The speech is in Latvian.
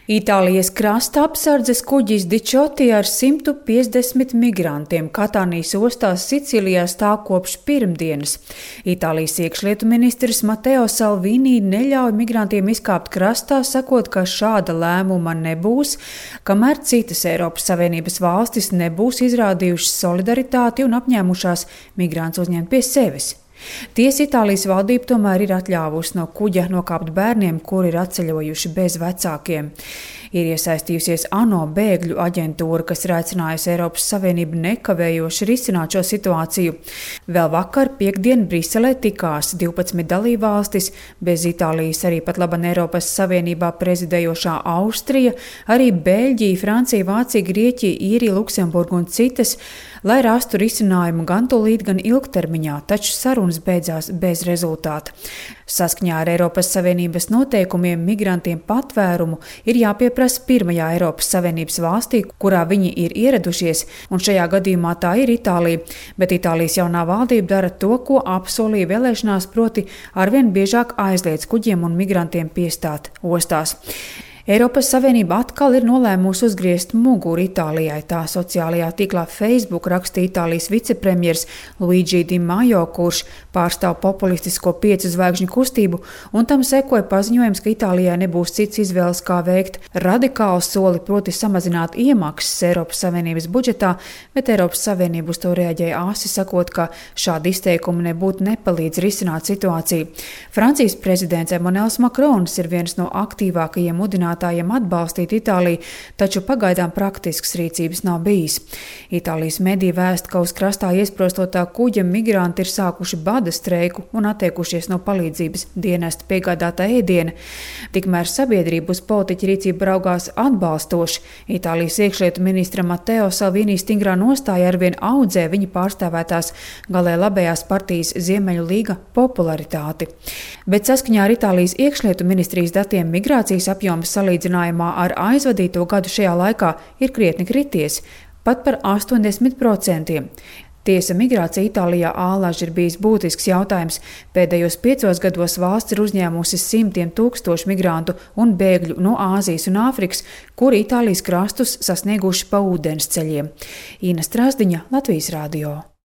Itālijas krasta apsardzes kuģis Diciotti ar 150 migrantiem Katānijas ostās Sicilijā stāv kopš pirmdienas. Itālijas iekšlietu ministrs Matteo Salvini neļauj migrantiem izkāpt krastā, sakot, ka šāda lēmuma nebūs, kamēr citas Eiropas Savienības valstis nebūs izrādījušas solidaritāti un apņēmušās migrantus uzņemt pie sevis. Tiesa Itālijas valdība tomēr ir atļāvusi no kuģa nokāpt bērniem, kuri ir atceļojuši bez vecākiem. Ir iesaistījusies ANO bēgļu aģentūra, kas ir aicinājusi Eiropas Savienību nekavējoši risināt šo situāciju. Vēl vakar piekdien Briselē tikās 12 dalībvalstis, bez Itālijas arī pat laban Eiropas Savienībā prezidējošā Austrija, arī Beļģija, Francija, Vācija, Grieķija, Īrija, Luksemburga un citas, lai rastu risinājumu gan tūlīt, gan ilgtermiņā, taču sarunas beidzās bez rezultāta. Saskaņā ar Eiropas Savienības noteikumiem migrantiem patvērumu ir jāpieprasa pirmajā Eiropas Savienības valstī, kurā viņi ir ieradušies, un šajā gadījumā tā ir Itālija, bet Itālijas jaunā valdība dara to, ko apsolīja vēlēšanās, proti arvien biežāk aizliedz kuģiem un migrantiem piestāt ostās. Eiropas Savienība atkal ir nolēmusi uzgriezt muguru Itālijai, tā sociālajā tīklā Facebook rakstīja Itālijas vicepremjers Luigi Di Maio, kurš pārstāv populistisko 5 zvaigžņu kustību, un tam sekoja paziņojums, ka Itālijai nebūs cits izvēles, kā veikt radikālu soli, proti samazināt iemaksas Eiropas Savienības budžetā, bet Eiropas Savienība uz to reaģēja āsi, sakot, ka šādi izteikumi nebūtu nepalīdz risināt situāciju. Francijas prezidents Emmanuels Macrons ir viens no aktīvākajiem mudinātājiem atbalstīt Itāliju, taču pagaidām praktisks rīcības nav bijis. Itālijas mediji vēsta, ka uz krastā iesprostotā kuģa migranti ir sākuši bada streiku un atteikušies no palīdzības dienesta piegādātā ēdiena. Tikmēr sabiedrība uz politiķa rīcību raugās atbalstoši. Itālijas iekšlietu ministra Matteo Salvini stingrā nostāja arvien audzē viņa pārstāvētās galē labējās partijas Ziemeļu līga popularitāti. Bet saskaņā ar Itālijas iekšlietu ministrijas datiem migrācijas apjoms salīdzinājumā ar aizvadīto gadu šajā laikā ir krietni krities, pat par 80%. Tiesa, migrācija Itālijā ālaži ir bijis būtisks jautājums. Pēdējos 5 gados valsts ir uzņēmusi simtiem tūkstošu migrantu un bēgļu no Āzijas un Āfrikas, kuri Itālijas krastus sasnieguši pa ūdensceļiem. Ina Strasdiņa, Latvijas radio.